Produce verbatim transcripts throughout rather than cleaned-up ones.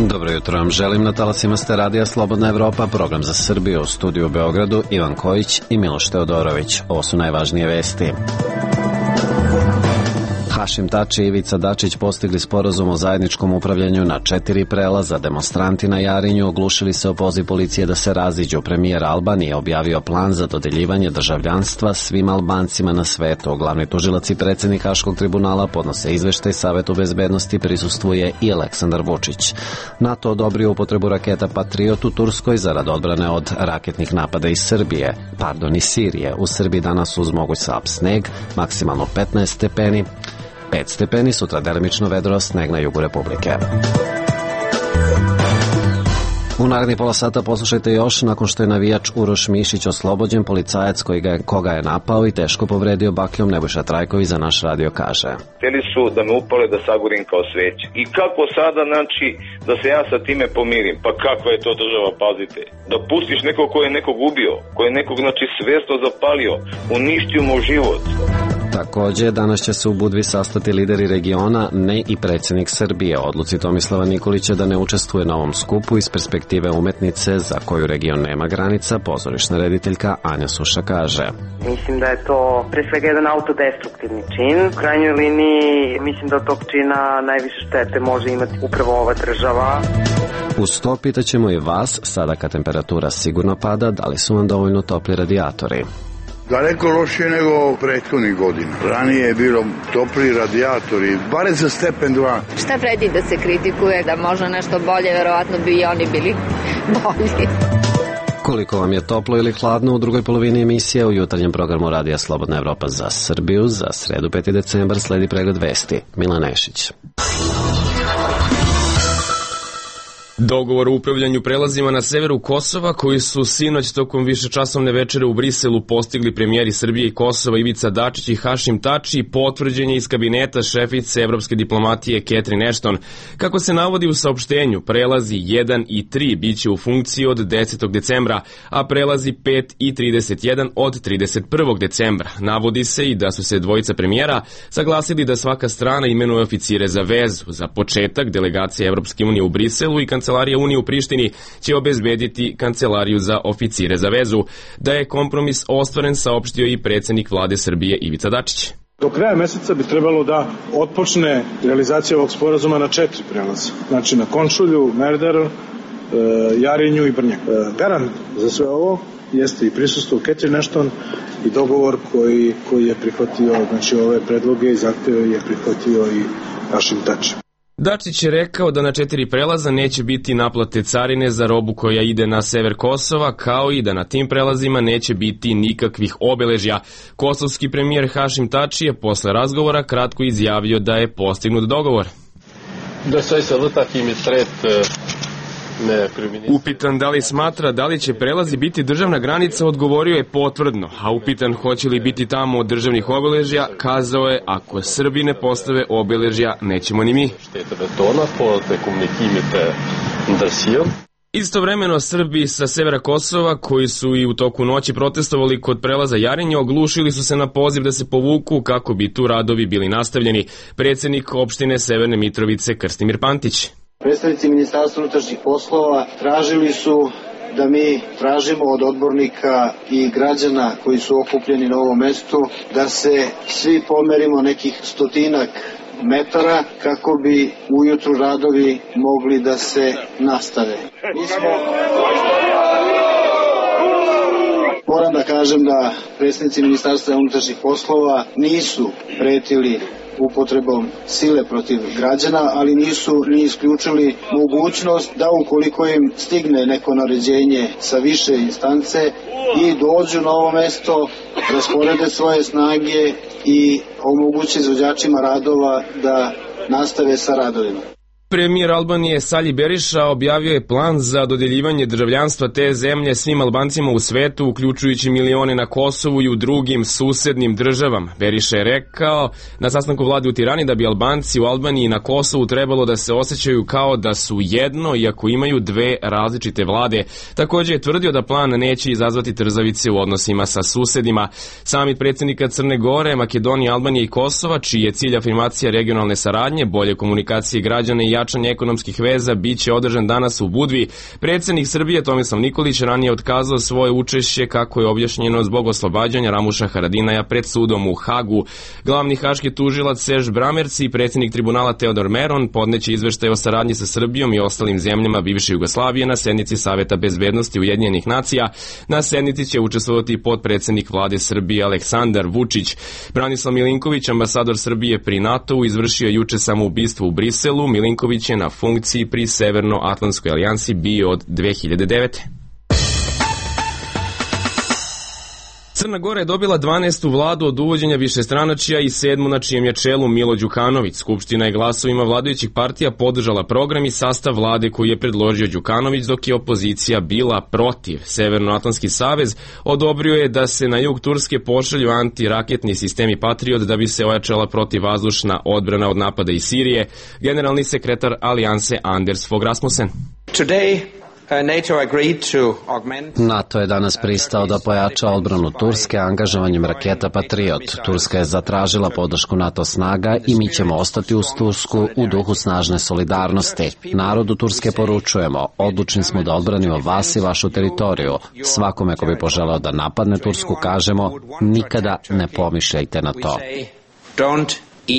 Dobro jutro vam želim, na talasima ste radija Slobodna Evropa, program za Srbiju, u studiju u Beogradu Ivan Kojić i Miloš Teodorović. Ovo su najvažnije vesti. Hašim Tači i Ivica Dačić postigli sporazum o zajedničkom upravljanju na četiri prelaza. Demonstranti na Jarinju oglušili se o poziv policije da se raziđu. Premijer Albanije objavio plan za dodeljivanje državljanstva svim Albancima na svetu. Glavni tužilac i predsjednik Haškog tribunala podnose izveštaj Savetu bezbednosti, prisustvuje i Aleksandar Vučić. NATO odobrio upotrebu raketa Patriot u Turskoj zarad odbrane od raketnih napada iz Srbije, pardon, iz Sirije. U Srbiji danas uz moguć slab sneg, maksimalno petnaest stepeni, pet stepeni, sutra delimično vedro, sneg na jugu Republike. U narednih pola sata poslušajte još, nakon što je navijač Uroš Mišić oslobođen, policajac koji ga je, koga je napao i teško povredio bakljom, Nebojša Trajković za naš radio kaže. Hteli su da me upale da sagorim kao sveće. I kako sada, znači, da se ja sa time pomirim? Pa kakva je to država, pazite? Da pustiš nekog ko je nekog ubio, ko je nekog, znači, svesno zapalio, uništio mu život. Takođe, danas će se u Budvi sastati lideri regiona, ne i predsjednik Srbije. Odluci Tomislava Nikolića da ne učestvuje na ovom skupu iz perspektive umetnice za koju region nema granica, pozorišna rediteljka Anja Suša kaže. Mislim da je to pre svega jedan autodestruktivni čin. U krajnjoj liniji mislim da od tog čina najviše štete može imati upravo ova država. Uz to pitaćemo i vas, sada kad temperatura sigurno pada, da li su vam dovoljno topli radijatori? Daleko lošije nego prethodnih godina. Ranije je bilo topli radijatori, bare za stepen dva. Šta vredi da se kritikuje, da može nešto bolje, verovatno bi i oni bili bolji. Koliko vam je toplo ili hladno u drugoj polovini emisije u jutarnjem programu Radija Slobodna Evropa za Srbiju. Za sredu peti decembar sledi pregled vesti. Milan Nešić. Dogovor o upravljanju prelazima na severu Kosova, koji su sinoć tokom višečasovne večere u Briselu postigli premijeri Srbije i Kosova Ivica Dačić i Hašim Tači, potvrđen je iz kabineta šefice evropske diplomatije Catherine Ashton. Kako se navodi u saopštenju, prelazi jedan i tri biće u funkciji od desetog decembra, a prelazi pet i trideset jedan od trideset prvog decembra. Navodi se i da su se dvojica premijera saglasili da svaka strana imenuje oficire za vezu. Za početak, delegacija Evropske unije u Briselu i kancelarija Kancelarija Unije u Prištini će obezbediti kancelariju za oficire za vezu. Da je kompromis ostvaren, saopštio i predsjednik vlade Srbije Ivica Dačić. Do kraja meseca bi trebalo da otpočne realizacija ovog sporazuma na četiri prelaza. Znači na Končulju, Merdaru, Jarinju i Brnjak. Garant za sve ovo jeste i prisustvo Catherine Ashton i dogovor koji, koji je prihvatio, znači ove predloge i zahteve je prihvatio i Hašim Tači. Dačić je rekao da na četiri prelaza neće biti naplate carine za robu koja ide na sever Kosova, kao i da na tim prelazima neće biti nikakvih obeležja. Kosovski premijer Hašim Tači je posle razgovora kratko izjavio da je postignut dogovor. Upitan da li smatra da li će prelazi biti državna granica, odgovorio je potvrdno, a upitan hoće li biti tamo državnih obeležja, kazao je ako Srbi ne postave obeležja, nećemo ni mi. Istovremeno Srbi sa severa Kosova, koji su i u toku noći protestovali kod prelaza Jarinje, oglušili su se na poziv da se povuku kako bi tu radovi bili nastavljeni. Predsjednik opštine Severne Mitrovice Krstimir Pantić. Predstavnici Ministarstva unutrašnjih poslova tražili su da mi tražimo od odbornika i građana koji su okupljeni na ovom mestu da se svi pomerimo nekih stotinak metara kako bi ujutru radovi mogli da se nastave. Mi smo... Moram da kažem da predstavnici Ministarstva unutrašnjih poslova nisu pretili upotrebom sile protiv građana, ali nisu ni isključili mogućnost da ukoliko im stigne neko naređenje sa više instance i dođu na ovo mesto, rasporede svoje snage i omoguće izvođačima radova da nastave sa radovima. Premijer Albanije Sali Beriša objavio je plan za dodeljivanje državljanstva te zemlje svim Albancima u svetu, uključujući milione na Kosovu i u drugim susednim državama. Beriša je rekao na sastanku vlade u Tirani da bi Albanci u Albaniji i na Kosovu trebalo da se osjećaju kao da su jedno, iako imaju dve različite vlade. Također je tvrdio da plan neće izazvati trzavice u odnosima sa susedima. Samit predsjednika Crne Gore, Makedonije, Albanije i Kosova, čiji je cilj afirmacija regionalne saradnje, bolje komunikacije građana i jačanje ekonomskih veza biće održan danas u Budvi. Predsednik Srbije Tomislav Nikolić ranije otkazao svoje učešće, kako je objašnjeno, zbog oslobađanja Ramuša Haradinaja pred sudom u Hagu. Glavni haški tužilac Serž Bramerci i predsednik tribunala Teodor Meron podneće izveštaj o saradnji sa Srbijom i ostalim zemljama bivše Jugoslavije na sednici Saveta bezbednosti Ujedinjenih nacija. Na sednici će učestvovati potpredsednik vlade Srbije Aleksandar Vučić. Branislav Milinković, ambasador Srbije pri NATO-u, izvršio juče samoubistvo u Briselu. Milinković je na funkciji pri Severnoatlantskoj alijansi bio od dve hiljade devete. Crna Gora je dobila dvanaestu vladu od uvođenja višestranačja i sedmu na čijem je čelu Milo Đukanović. Skupština je glasovima vladajućih partija podržala program i sastav vlade koji je predložio Đukanović, dok je opozicija bila protiv. Severnoatlantski savez odobrio je da se na jug Turske pošalju antiraketni sistemi Patriot da bi se ojačala protivvazdušna odbrana od napada iz Sirije. Generalni sekretar alijanse Anders Fogh Rasmussen. Today NATO je danas pristao da pojača odbranu Turske angažovanjem raketa Patriot. Turska je zatražila podršku NATO snaga i mi ćemo ostati uz Tursku u duhu snažne solidarnosti. Narodu Turske poručujemo, odlučni smo da odbranimo vas i vašu teritoriju. Svakome ko bi poželeo da napadne Tursku kažemo, nikada ne pomišljajte na to. Don't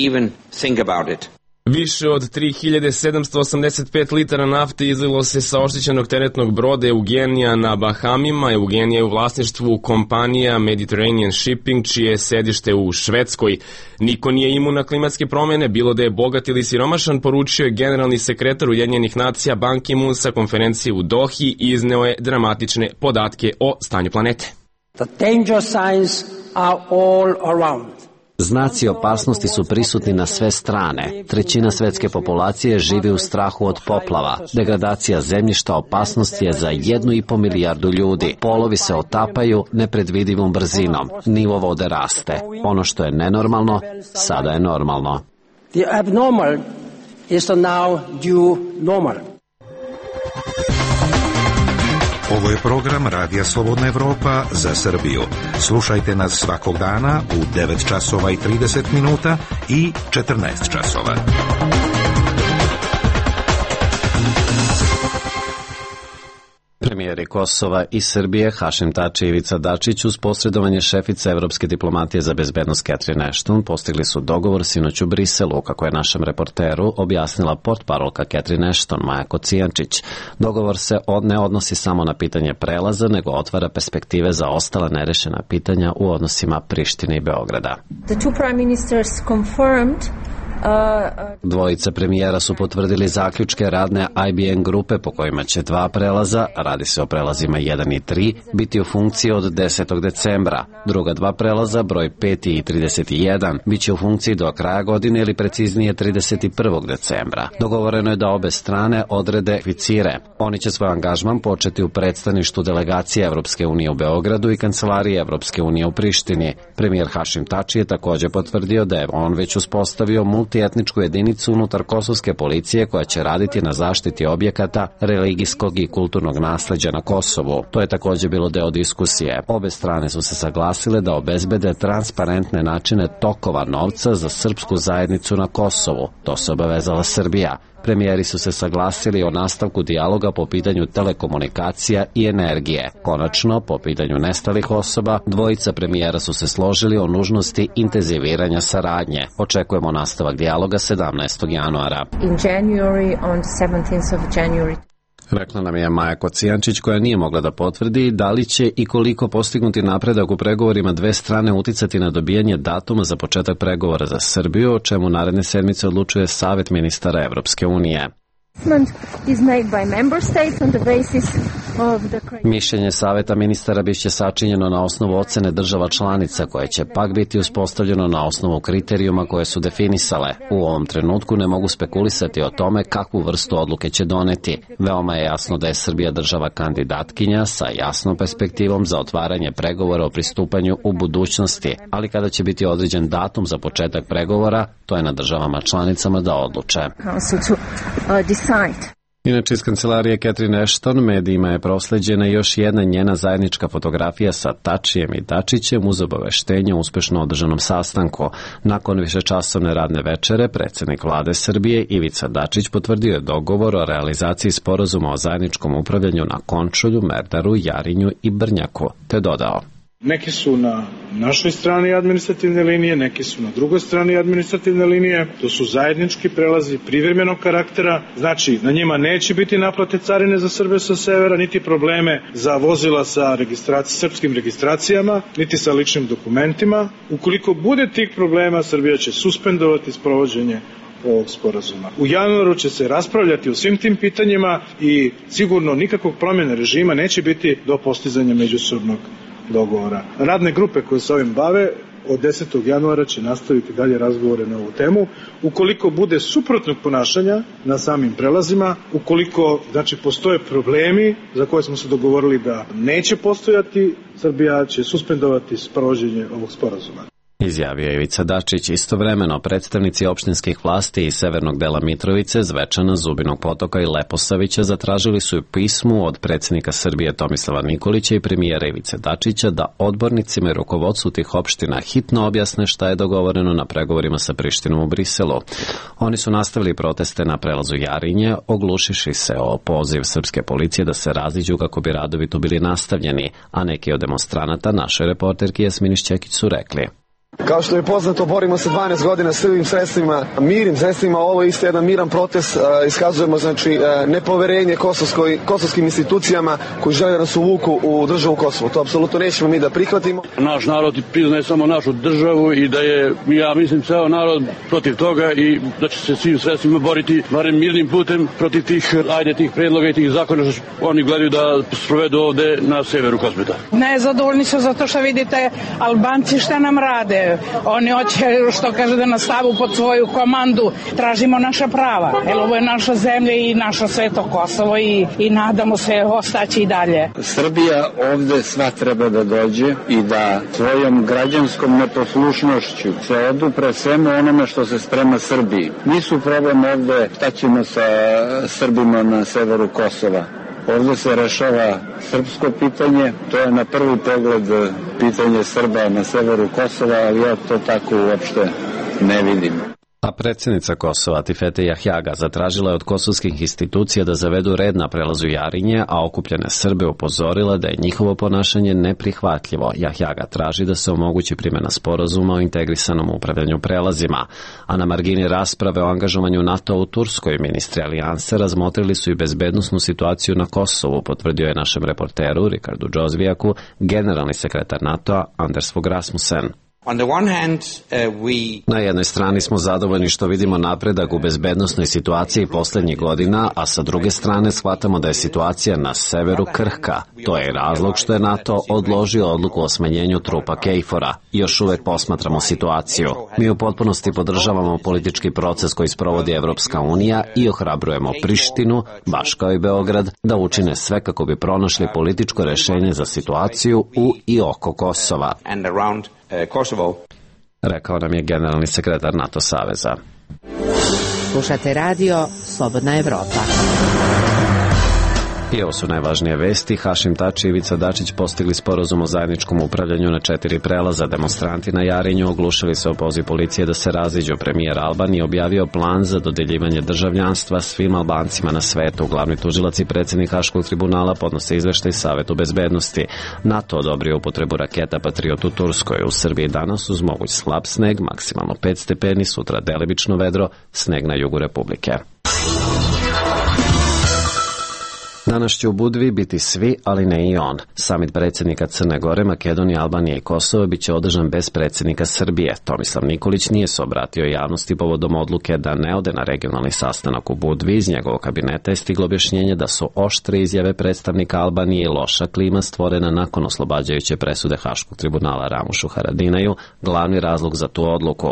even think about it. Više od tri hiljade sedamsto osamdeset pet litara nafte izlilo se sa oštećenog teretnog broda Eugenija na Bahamima. Eugenija je u vlasništvu kompanija Mediterranean Shipping, čije je sedište u Švedskoj. Niko nije imun na klimatske promene, bilo da je bogat ili siromašan, poručio je generalni sekretar Ujedinjenih nacija Ban Ki-moon sa konferencije u Dohi i izneo je dramatične podatke o stanju planete. The danger signs are all around. Znaci opasnosti su prisutni na sve strane. Trećina svetske populacije živi u strahu od poplava. Degradacija zemljišta opasnost je za jednu i po milijardu ljudi. Polovi se otapaju nepredvidivom brzinom. Nivo vode raste. Ono što je nenormalno, sada je normalno. The abnormal is the now due normal. Ovo je program Radija Slobodna Evropa za Srbiju. Slušajte nas svakog dana u devet časova i trideset minuta i četrnaest časova. Premijeri Kosova i Srbije Hašim Tači i Ivica Dačić uz posredovanje šefice Evropske diplomatije za bezbednost Catherine Ashton postigli su dogovor sinoć u Briselu, kako je našem reporteru objasnila portparolka Catherine Ashton Maja Kocijančić. Dogovor se ne odnosi samo na pitanje prelaza, nego otvara perspektive za ostala nerešena pitanja u odnosima Prištine i Beograda. The two prime ministers confirmed Dvojica premijera su potvrdili zaključke radne I B M grupe po kojima će dva prelaza, radi se o prelazima jedan i tri, biti u funkciji od desetog decembra. Druga dva prelaza, broj pet i trideset jedan, bit će u funkciji do kraja godine ili preciznije trideset prvog decembra. Dogovoreno je da obe strane odrede kvicije. Oni će svoj angažman početi u predstavništvu delegacije Evropske unije u Beogradu i kancelarije Evropske unije u Prištini. Premijer Hašim Tači je također potvrdio da je on već uspostavio multietničku jedinicu unutar kosovske policije koja će raditi na zaštiti objekata religijskog i kulturnog nasleđa na Kosovu. To je također bilo deo diskusije. Obe strane su se saglasile da obezbede transparentne načine tokova novca za srpsku zajednicu na Kosovu. To se obavezala Srbija. Premijeri su se saglasili o nastavku dijaloga po pitanju telekomunikacija i energije. Konačno, po pitanju nestalih osoba, dvojica premijera su se složili o nužnosti intenziviranja saradnje. Očekujemo nastavak dijaloga sedamnaestog januara. in January, on seventeenth of January. Rekla nam je Maja Kocijančić, koja nije mogla da potvrdi da li će i koliko postignuti napredak u pregovorima dve strane uticati na dobijanje datuma za početak pregovora za Srbiju, o čemu naredne sedmice odlučuje Savet ministara Evropske unije. Mišljenje Saveta ministara biće sačinjeno na osnovu ocene država članica, koje će pak biti uspostavljeno na osnovu kriterijuma koje su definisale. U ovom trenutku ne mogu spekulisati o tome kakvu vrstu odluke će doneti. Veoma je jasno da je Srbija država kandidatkinja sa jasnom perspektivom za otvaranje pregovora o pristupanju u budućnosti, ali kada će biti određen datum za početak pregovora, to je na državama članicama da odluče. Inače, iz kancelarije Catherine Ashton medijima je prosleđena još jedna njena zajednička fotografija sa Tačijem i Dačićem uz obaveštenje o uspešno održanom sastanku. Nakon višečasovne radne večere, predsjednik vlade Srbije Ivica Dačić potvrdio je dogovor o realizaciji sporazuma o zajedničkom upravljanju na Končulju, Merdaru, Jarinju i Brnjaku, te dodao: Neki su na našoj strani administrativne linije, neki su na drugoj strani administrativne linije. To su zajednički prelazi privremenog karaktera. Znači, na njima neće biti naplate carine za Srbe sa severa, niti probleme za vozila sa registraci, srpskim registracijama, niti sa ličnim dokumentima. Ukoliko bude tih problema, Srbija će suspendovati sprovođenje ovog sporazuma. U januaru će se raspravljati o svim tim pitanjima i sigurno nikakvog promjene režima neće biti do postizanja međusobnog dogovora. Radne grupe koje se ovim bave od desetog januara će nastaviti dalje razgovore na ovu temu. Ukoliko bude suprotnog ponašanja na samim prelazima, ukoliko znači postoje problemi za koje smo se dogovorili da neće postojati, Srbija će suspendovati sprovođenje ovog sporazuma. Izjavio je Ivica Dačić. Istovremeno, predstavnici opštinskih vlasti iz severnog dela Mitrovice, Zvečana, Zubinog Potoka i Leposavića zatražili su pismu od predsjednika Srbije Tomislava Nikolića i premijera Ivice Dačića da odbornicima i rukovodstvu tih opština hitno objasne šta je dogovoreno na pregovorima sa Prištinom u Briselu. Oni su nastavili proteste na prelazu Jarinje, oglušiši se o poziv srpske policije da se raziđu kako bi radovi tu bili nastavljeni, a neki od demonstranata našoj reporterki Jasmini Šćekić su rekli: Kao što je poznato, borimo se dvanaest godina svim sredstvima, mirnim sredstvima. Ovo je isto jedan miran protest. Iskazujemo znači nepoverenje kosovskoj, kosovskim institucijama koji žele da nas uvuku u državu Kosovo. To apsolutno nećemo mi da prihvatimo. Naš narod priznaje samo našu državu i da je, ja mislim, ceo narod protiv toga i da će se svim sredstvima boriti, barem mirnim putem, protiv tih, ajde, tih predloga i tih zakona što oni gledaju da sprovedu ovde na severu Kosmeta. Nezadovoljni su zato što vidite Albanci šta nam rade. Oni hoće, što kaže, da nas stavu pod svoju komandu. Tražimo naša prava. Jer ovo je naša zemlja i naša sveto Kosovo i, i nadamo se ostaći i dalje. Srbija ovde sva treba da dođe i da svojom građanskom neposlušnošću se odupre svemu onome što se sprema Srbiji. Nisu problem ovde šta ćemo sa Srbima na severu Kosova. Ovdje se rešava srpsko pitanje, to je na prvi pogled pitanje Srba na severu Kosova, ali ja to tako uopšte ne vidim. A predsjednica Kosova Tifete Jahjaga zatražila je od kosovskih institucija da zavedu red na prelazu Jarinje, a okupljene Srbe upozorila da je njihovo ponašanje neprihvatljivo. Jahjaga traži da se omogući primjena sporazuma o integrisanom upravljanju prelazima. A na margini rasprave o angažovanju NATO u Turskoj, ministri alijanse razmotrili su i bezbednosnu situaciju na Kosovu, potvrdio je našem reporteru Rikardu Džozvijaku generalni sekretar NATO-a Anders Fogh Rasmussen. On the one hand, uh, we... Na jednoj strani smo zadovoljni što vidimo napredak u bezbednosnoj situaciji posljednjih godina, a sa druge strane shvatamo da je situacija na severu krhka. To je razlog što je NATO odložio odluku o smanjenju trupa Kejfora. Još uvek posmatramo situaciju. Mi u potpunosti podržavamo politički proces koji sprovodi Evropska unija i ohrabrujemo Prištinu, baš kao i Beograd, da učine sve kako bi pronašli političko rešenje za situaciju u i oko Kosova. Kosovo. Rekao nam je generalni sekretar NATO saveza. Slušate radio Slobodna Evropa. I ovo su najvažnije vesti. Hašim Tači i Ivica Dačić postigli sporazum o zajedničkom upravljanju na četiri prelaza. Demonstranti na Jarinju oglušili se o poziv policije da se raziđu. Premijer Albanije objavio plan za dodeljivanje državljanstva svim Albancima na svetu. Glavni tužilac i predsjednik Haškog tribunala podnose izveštaj Savetu bezbednosti. NATO odobrio upotrebu raketa Patriot u Turskoj. U Srbiji danas uz moguć slab sneg, maksimalno pet stepeni, sutra delimično vedro, sneg na jugu Republike. Danas će u Budvi biti svi, ali ne i on. Samit predsjednika Crne Gore, Makedonije, Albanije i Kosova biće održan bez predsjednika Srbije. Tomislav Nikolić nije se obratio javnosti povodom odluke da ne ode na regionalni sastanak u Budvi. Iz njegovog kabineta je stiglo objašnjenje da su oštre izjave predstavnika Albanije i loša klima stvorena nakon oslobađajuće presude Haškog tribunala Ramušu Haradinaju glavni razlog za tu odluku.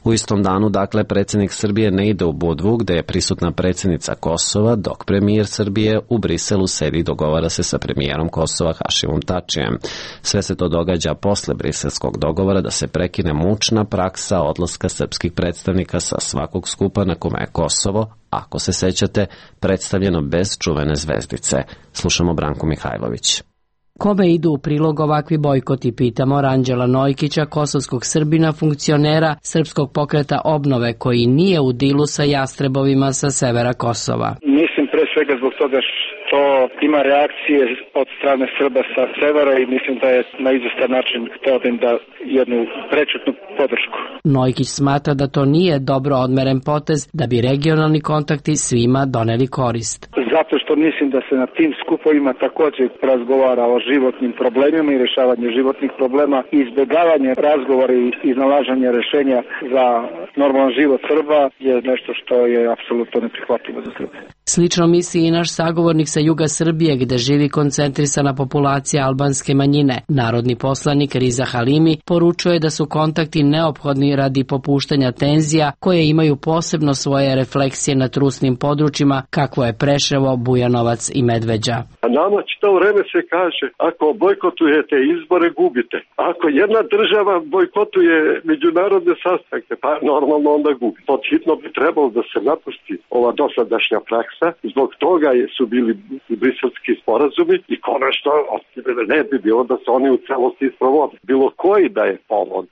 U istom danu, dakle, predsjednik Srbije ne ide u Budvu, gde je prisutna predsjednica Kosova, dok premijer Srbije u Briselu Briselu sedi i dogovara se sa premijerom Kosova Hašimom Tačijem. Sve se to događa posle briselskog dogovora da se prekine mučna praksa odlaska srpskih predstavnika sa svakog skupa na kome je Kosovo, ako se sećate, predstavljeno bez čuvene zvezdice. Slušamo Branku Mihajlović. Kome idu u prilog ovakvi bojkoti, pitamo Ranđela Nojkića, kosovskog Srbina, funkcionera Srpskog pokreta obnove, koji nije u dilu sa jastrebovima sa severa Kosova. Mislim pre svega zbog toga što ima reakcije od strane Srba sa severa i mislim da je na izvestan način hteo da im da jednu prečutnu podršku. Nojkić smatra da to nije dobro odmeren potez, da bi regionalni kontakti svima doneli korist. Zato što mislim da se na tim skupovima također razgovara o životnim problemima i rješavanje životnih problema, izbjegavanje razgovora i iznalaženje rješenja za normalan život Srba je nešto što je apsolutno neprihvatljivo za Srbe. Slično misli i naš sagovornik sa juga Srbije, gde živi koncentrisana populacija albanske manjine. Narodni poslanik Riza Halimi poručuje da su kontakti neophodni radi popuštanja tenzija koje imaju posebno svoje refleksije na trusnim područjima kakvo je Preševo, Bujanovac i Medveđa. A nama čito vreme se kaže, ako bojkotujete izbore, gubite. Ako jedna država bojkotuje međunarodne sastanke, pa normalno onda gubi. Pod hitno bi trebalo da se napusti ova dosadašnja praksa. Zbog toga su bili briselski sporazumi i konačno ne bi bilo da se oni u celosti sprovode. Bilo koji da je povod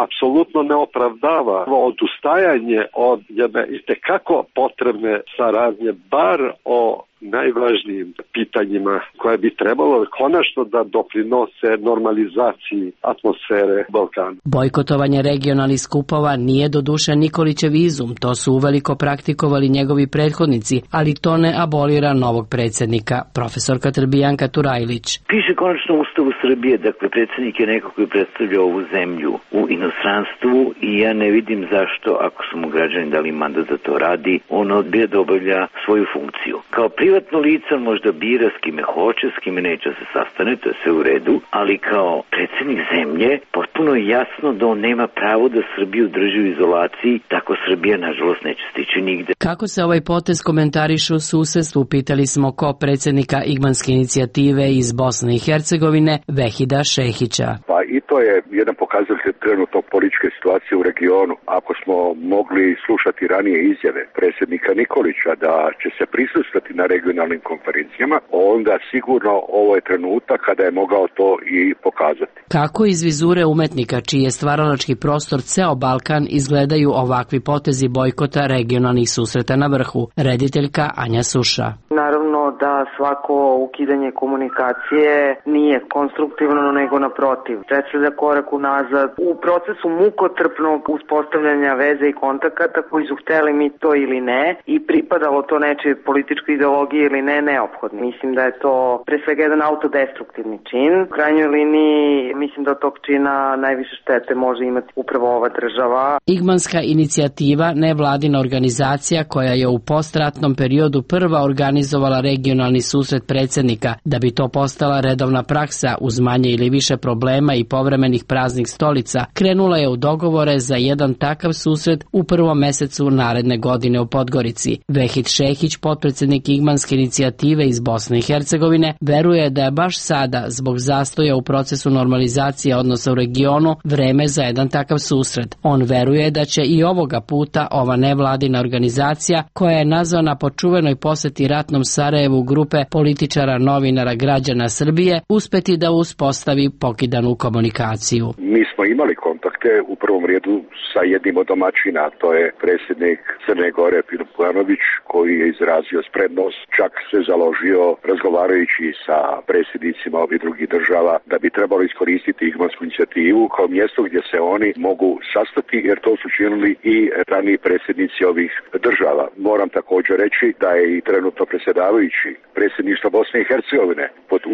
apsolutno ne opravdava odustajanje od jedne itekako potrebne saradnje, bar o najvažnijim pitanjima koje bi trebalo konačno da doprinose normalizaciji atmosfere Balkana. Bojkotovanje regionalnih skupova nije doduše Nikolićev izum, to su uveliko praktikovali njegovi prethodnici, ali to ne abolira novog predsjednika, profesorka Trbijanka Turajlić. Piše konačno u Ustavu Srbije, dakle predsjednik je neko koji predstavlja ovu zemlju u inostranstvu i ja ne vidim zašto, ako su mu građani dali mandat da to radi, on odbija da obavlja svoju funkciju. Kao privatno lice on možda bira s kime hoće, s kime neće se sastane, to je sve u redu, ali kao predsjednik zemlje potpuno je jasno da on nema pravo da Srbiju drži u izolaciji, tako Srbija nažalost neće stići nigde. Kako se ovaj potez komentariše u susedstvu, pitali smo ko predsjednika Igmanske inicijative iz Bosne i Hercegovine, Vehida Šehića. Pa i to je jedan pokazatelj trenutno političke situacije u regionu. Ako smo mogli slušati ranije izjave predsjednika Nikolića da će se prisustati na regionalnim konferencijama, onda sigurno ovo je trenutak kada je mogao to i pokazati. Kako iz vizure umetnika, čiji je stvaralački prostor ceo Balkan, izgledaju ovakvi potezi bojkota regionalnih susreta na vrhu? Rediteljka Anja Suša. Naravno da svako ukidanje komunikacije nije konstruktivno, nego naprotiv. Predstavlja korak unazad u procesu mukotrpnog uspostavljanja veze i kontakata koji su hteli mi to ili ne i pripadalo to nečoj političkoj ideologiji ili ne, neophodno. Mislim da je to pre svega jedan autodestruktivni čin. U krajnjoj liniji mislim da od tog čina najviše štete može imati upravo ova država. Igmanska inicijativa, nevladina organizacija koja je u postratnom periodu prva organizovala regionalni susret predsjednika, da bi to postala redovna praksa uz manje ili više problema i povremenih praznih stolica, krenula je u dogovore za jedan takav susret u prvom mesecu naredne godine u Podgorici. Vehid Šehić, potpredsjednik Igmanske inicijative iz Bosne i Hercegovine, veruje da je baš sada, zbog zastoja u procesu normalizacije odnosa u regionu, vreme za jedan takav susret. On veruje da će i ovoga puta ova nevladina organizacija, koja je nazvana po čuvenoj poseti ratnom Sarajevu grupe političara, novinara, građana Srbije, uspeti da uspostavi pokidanu komunikaciju. Mi smo imali kontakte u prvom redu sa jednim od domaćina, to je predsjednik Crne Gore Filip Bujanović, koji je izrazio sprednost, čak se založio razgovarajući sa predsjednicima ovih drugih država da bi trebalo iskoristiti Igmansku inicijativu kao mjesto gdje se oni mogu sastati, jer to su činili i raniji predsjednici ovih država. Moram također reći da je i trenutno predsjedavajući predsjedništva Bosne i Hercegovine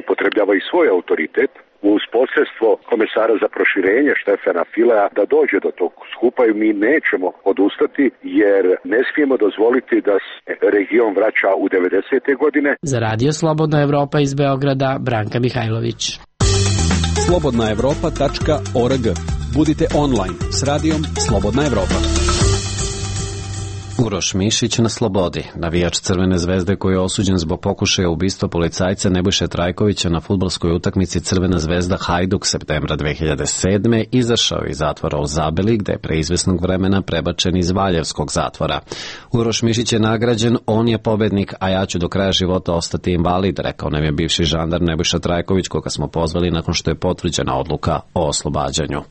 upotrebljava i svoj autoritet uz posredstvo komesara za proširenje Štefana Filea da dođe do tog skupa i mi nećemo odustati jer ne smijemo dozvoliti da se region vraća u devedesete godine. Za Radio Slobodna Evropa iz Beograda, Branka Mihajlović. slobodna evropa tačka org. Budite online s radijom Slobodna Evropa. Uroš Mišić na slobodi. Navijač Crvene zvezde koji je osuđen zbog pokušaja ubistva policajca Nebojše Trajkovića na fudbalskoj utakmici Crvena zvezda Hajduk septembra dve hiljade sedme izašao iz zatvora u Zabeli, gde je pre izvesnog vremena prebačen iz Valjevskog zatvora. Uroš Mišić je nagrađen, on je pobednik, a ja ću do kraja života ostati invalid, rekao nam je bivši žandar Nebojša Trajković, koga smo pozvali nakon što je potvrđena odluka o oslobađanju.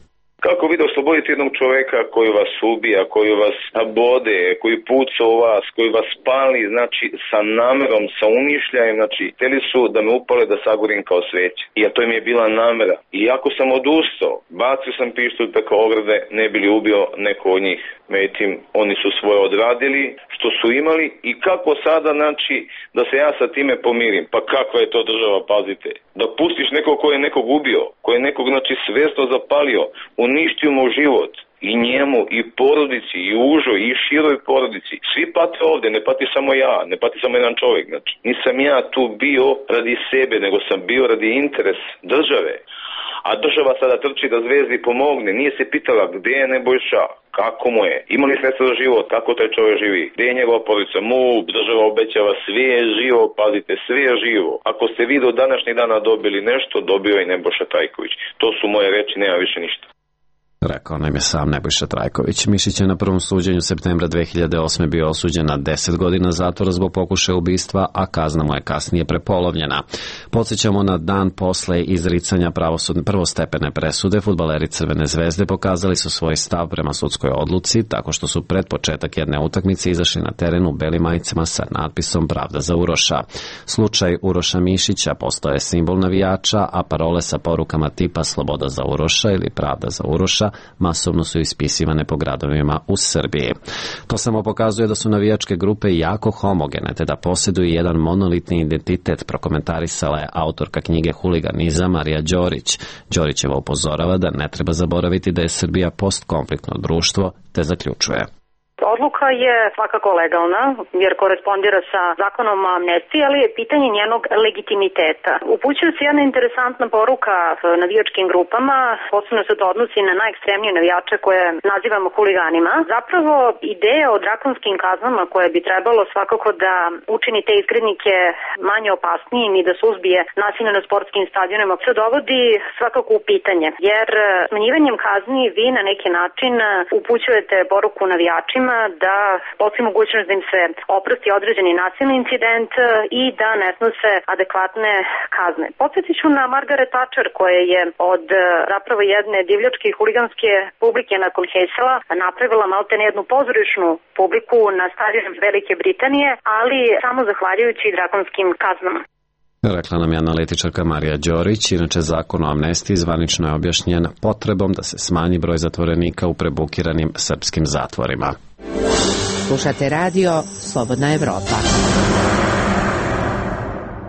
Kako vi da oslobodite jednog čoveka koji vas ubija, koji vas bode, koji puca u vas, koji vas pali, znači sa namerom, sa umišljajem, znači hteli su da me upale da sagorim kao sveće. I a to im je bila namera. I ako sam odustao, bacio sam pištolj preko ograde, ne bi li ubio neko od njih. Međutim, oni su svoje odradili, što su imali i kako sada, znači, da se ja sa time pomirim. Pa kakva je to država, pazite. Da pustiš nekog ko je nekog ubio, ko je nekog, znači, svesno zapalio, uništio mu život. I njemu, i porodici, i užoj, i široj porodici. Svi pate ovde, ne pati samo ja, ne pati samo jedan čovjek. Znači, nisam ja tu bio radi sebe, nego sam bio radi interes države. A država sada trči da Zvezdi pomogne. Nije se pitala gde je Nebojša, kako mu je, ima li sredstva za život, kako taj čovjek živi, gde je njegova porodica, mu država obećava, sve je živo, pazite, sve je živo. Ako ste vi do današnjeg dana dobili nešto, dobio je Nebojša Trajković. To su moje reči, nema više ništa. Rekao nam je sam Nebojša Trajković. Mišić je na prvom suđenju septembra dve hiljade osme bio osuđen na deset godina zatvora zbog pokušaja ubistva, a kazna mu je kasnije prepolovljena. Podsjećamo, na dan posle izricanja pravosudne prvostepene presude, fudbaleri Crvene zvezde pokazali su svoj stav prema sudskoj odluci tako što su pred početak jedne utakmice izašli na teren u belim majicama sa natpisom Pravda za Uroša. Slučaj Uroša Mišića postao je simbol navijača, a parole sa porukama tipa Sloboda za Uroša ili Pravda za Uroša masovno su ispisivane po gradovima u Srbiji. To samo pokazuje da su navijačke grupe jako homogene, te da posjeduju jedan monolitni identitet, prokomentarisala je autorka knjige Huliganizam Marija Đorić. Đorićeva upozorava da ne treba zaboraviti da je Srbija postkonfliktno društvo, te zaključuje. Odluka je svakako legalna, jer korespondira sa zakonom o amnestiji, ali je pitanje njenog legitimiteta. Upućuje se jedna interesantna poruka navijačkim grupama, posebno se to odnosi na najekstremnije navijače koje nazivamo huliganima. Zapravo, ideja o drakonskim kaznama koje bi trebalo svakako da učini te izgrednike manje opasnijim i da suzbije nasilje na sportskim stadionima se dovodi svakako u pitanje, jer smanjivanjem kazni vi na neki način upućujete poruku navijačima da postoji mogućnost da im se oprosti određeni nasilni incident i da ne snose adekvatne kazne. Podsjetit ću na Margaret Thatcher koja je od zapravo jedne divljačke i huliganske publike nakon Heysela napravila maltene jednu pozorišnu publiku na stadionu Velike Britanije, ali samo zahvaljujući drakonskim kaznama. Rekla nam je analitičarka Marija Đorić. Inače, zakon o amnestiji zvanično je objašnjen potrebom da se smanji broj zatvorenika u prebukiranim srpskim zatvorima. Slušate radio Slobodna Evropa.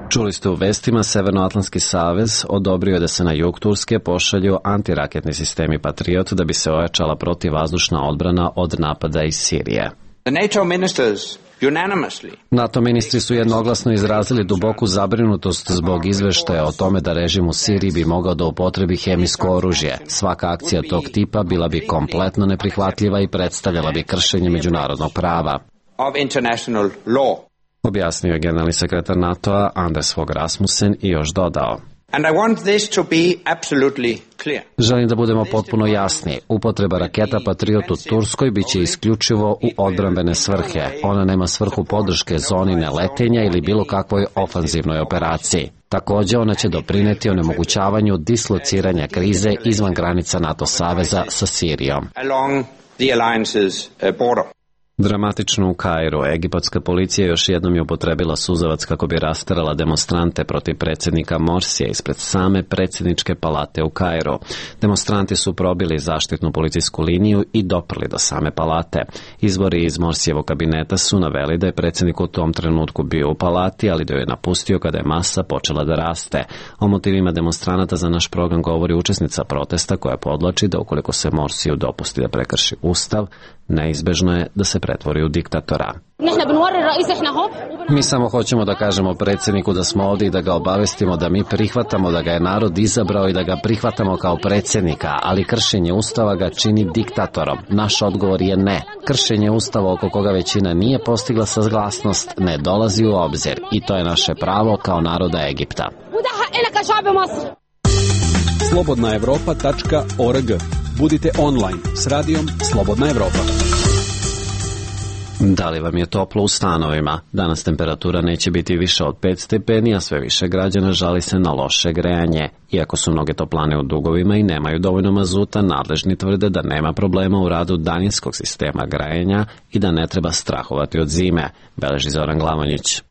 Čuli ste u vestima, Severnoatlantski savez odobrio je da se na jug Turske pošalju antiraketni sistemi Patriot da bi se ojačala protivvazdušna odbrana od napada iz Sirije. The NATO ministers unanimously. NATO ministri su jednoglasno izrazili duboku zabrinutost zbog izveštaja o tome da režim u Siriji bi mogao da upotrebi hemijsko oružje. Svaka akcija tog tipa bila bi kompletno neprihvatljiva i predstavljala bi kršenje međunarodnog prava. Of international law. Objasnio je generalni sekretar NATO-a Anders Fogh Rasmussen i još dodao. And I want this to be absolutely clear. Želim da budemo potpuno jasni. Upotreba raketa Patriot u Turskoj biće isključivo u odbrambene svrhe. Ona nema svrhu podrške zoni neletenja ili bilo kakvoj ofanzivnoj operaciji. Takođe, ona će doprineti onemogućavanju dislociranja krize izvan granica NATO saveza sa Sirijom. Along the alliance's border. Dramatično u Kairu. Egipatska policija još jednom je upotrebila suzavac kako bi rasterala demonstrante protiv predsjednika Morsija ispred same predsjedničke palate u Kairu. Demonstranti su probili zaštitnu policijsku liniju i doprli do same palate. Izvori iz Morsijevog kabineta su naveli da je predsjednik u tom trenutku bio u palati, ali da ju je napustio kada je masa počela da raste. O motivima demonstranata za naš program govori učesnica protesta koja podlači da ukoliko se Morsiju dopusti da prekrši ustav, neizbežno je da se pretvori u diktatora. Mi samo hoćemo da kažemo predsjedniku da smo ovdje i da ga obavestimo da mi prihvatamo da ga je narod izabrao i da ga prihvatamo kao predsjednika, ali kršenje ustava ga čini diktatorom. Naš odgovor je ne. Kršenje ustava oko koga većina nije postigla saglasnost ne dolazi u obzir i to je naše pravo kao naroda Egipta. slobodna evropa tačka org. Budite online s radijom Slobodna Evropa. Da li vam je toplo u stanovima? Danas temperatura neće biti više od pet stepeni, a sve više građana žali se na loše grejanje. Iako su mnoge toplane u dugovima i nemaju dovoljno mazuta, nadležni tvrde da nema problema u radu daljinskog sistema grejanja i da ne treba strahovati od zime, beleži Zoran Glamonjić.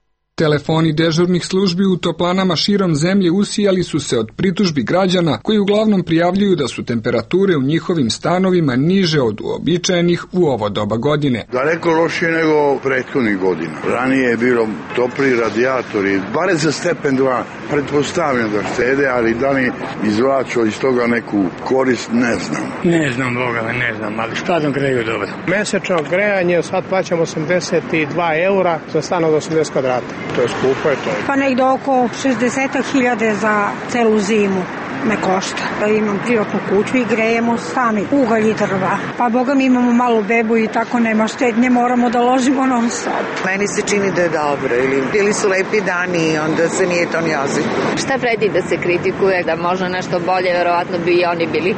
Telefoni dežurnih službi u toplanama širom zemlje usijali su se od pritužbi građana koji uglavnom prijavljuju da su temperature u njihovim stanovima niže od uobičajenih u ovo doba godine. Daleko lošije nego prethodnih godina. Ranije je bilo topli radijatori, bare za stepen dva, pretpostavljam da štede, ali da li izvlačo iz toga neku korist, ne znam. Ne znam, Boga, ne znam, ali stvarno greju dobro. Mesečno grejanje, sad plaćamo osamdeset dva eura za stan od osamdeset kvadrata. To je skupo, je to. Pa negdje oko šezdeset hiljada za celu zimu me košta. Imam privatnu kuću i grejemo sami ugalj i drva. Pa boga mi imamo malu bebu i tako nema štednje, moramo da ložimo non stop. Meni se čini da je dobro, ili bili su lepi dani i onda se nije to ni ozbiljno. Šta vredi da se kritikuje, da može nešto bolje, verovatno bi i oni bili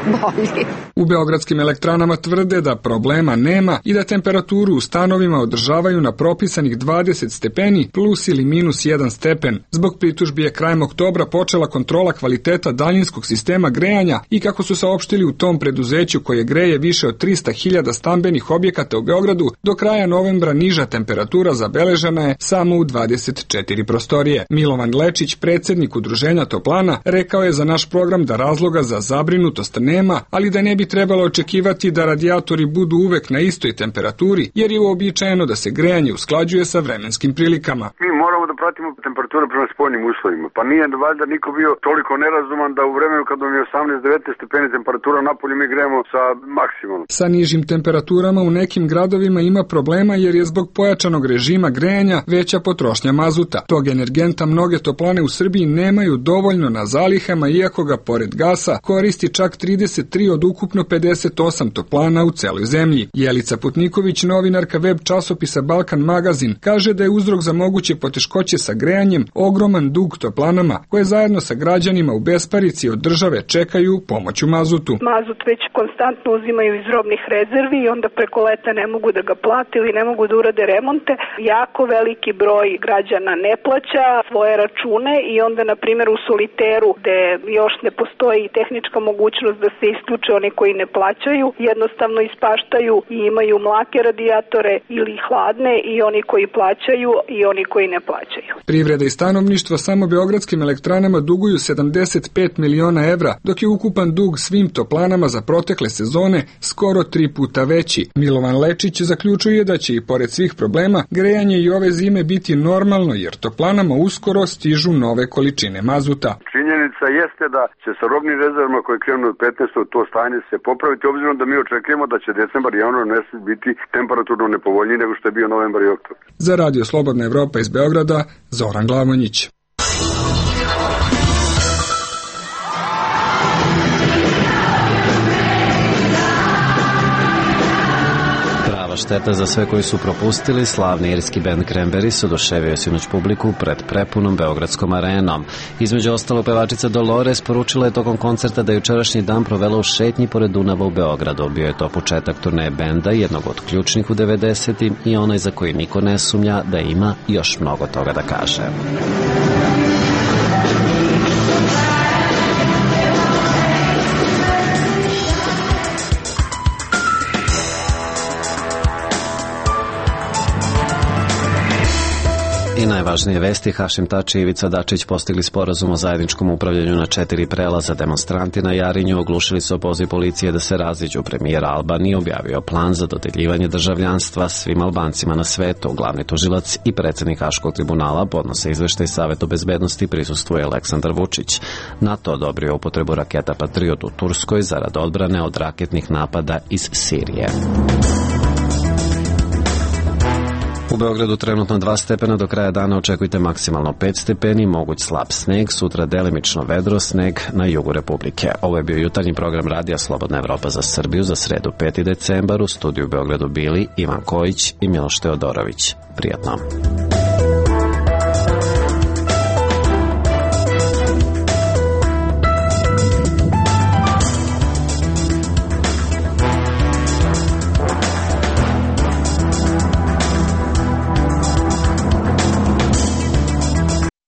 bolji. U beogradskim elektranama tvrde da problema nema i da temperaturu u stanovima održavaju na propisanih dvadeset stepeni plus ili minus jedan stepen. Zbog pritužbi je krajem oktobra počela kontrola kvaliteta daljinskog sistema grejanja i kako su saopštili u tom preduzeću koje greje više od trista hiljada stambenih objekata u Beogradu, do kraja novembra niža temperatura zabeležena je samo u dvadeset četiri prostorije. Milovan Lečić, predsjednik udruženja Toplana, rekao je za naš program da razloga za zabrinutost nema, ali da ne bi trebalo očekivati da radijatori budu uvek na istoj temperaturi, jer je uobičajeno da se grejanje usklađuje sa vremenskim prilikama. Mi moramo da pratimo temperaturu prema spoljnim uslovima, pa nije valjda niko bio toliko nerazuman da u vremenu kad vam je osamnaest devetnaest stepeni temperatura napolju mi grejemo sa maksimumom. Sa nižim temperaturama u nekim gradovima ima problema jer je zbog pojačanog režima grejanja veća potrošnja mazuta. Tog energenta mnoge toplane u Srbiji nemaju dovoljno na zalihama, iako ga pored gasa koristi čak trideset tri od ukupno pedeset osam toplana u celoj zemlji. Jelica Putniković, novinarka web časopisa Balkan Magazin, kaže da je uzrok za moguće poteškoće sa grejanjem ogroman dug toplanama koje zajedno sa građanima u besparici od države čekaju pomoć u mazutu. Mazut već konstantno uzimaju iz robnih rezervi i onda preko leta ne mogu da ga plate ili ne mogu da urade remonte. Jako veliki broj građana ne plaća svoje račune i onda, na primjer, u Soliteru, gde još ne postoji tehnička mogućnost da se isključe oni koji ne plaćaju, jednostavno ispaštaju i imaju mlake radijatore ili hladne, i oni koji plaćaju i oni koji ne plaćaju. Privreda i stanovništvo samo beogradskim elektranama duguju sedamdeset pet miliona evra, dok je ukupan dug svim toplanama za protekle sezone skoro tri puta veći. Milovan Lečić zaključuje da će i pored svih problema grejanje i ove zime biti normalno, jer toplanama uskoro stižu nove količine mazuta. Činjenica jeste da će sa robnim rezervama koje krenu od petnaestog to stanje se popraviti, obzirom da mi očekujemo da će decembar i januar mesec biti temperaturno nepovoljniji nego što je bio novembar i oktobar. Za Radio Slobodna Evropa iz Beograda, Zoran Glamonjić. Šteta za sve koji su propustili, slavni irski bend Cranberries oduševio sinoć publiku pred prepunom beogradskom arenom. Između ostalo, pevačica Dolores poručila je tokom koncerta da je jučerašnji dan provela u šetnji pored Dunava u Beogradu. Bio je to početak turneje benda, jednog od ključnih u devedesetim i onaj za koji niko ne sumnja da ima još mnogo toga da kaže. I najvažnije vesti, Hašim Tači i Ivica Dačić postigli sporazum o zajedničkom upravljanju na četiri prelaza. Demonstranti na Jarinju oglušili su opoziv policije da se raziđu. Premijer Albanije objavio plan za dodeljivanje državljanstva svim Albancima na svetu. Glavni tužilac i predsjednik Haškog tribunala podnose izveštaj Savetu bezbednosti, prisustvuje Aleksandar Vučić. NATO odobrio upotrebu raketa Patriot u Turskoj zarad odbrane od raketnih napada iz Sirije. U Beogradu trenutno dva stepena, do kraja dana očekujte maksimalno pet stepeni, moguć slab sneg, sutra delimično vedro, sneg na jugu Republike. Ovo je bio jutarnji program radija Slobodna Evropa za Srbiju za sredu peti decembar. U studiju u Beogradu bili Ivan Kojić i Miloš Teodorović. Prijatno.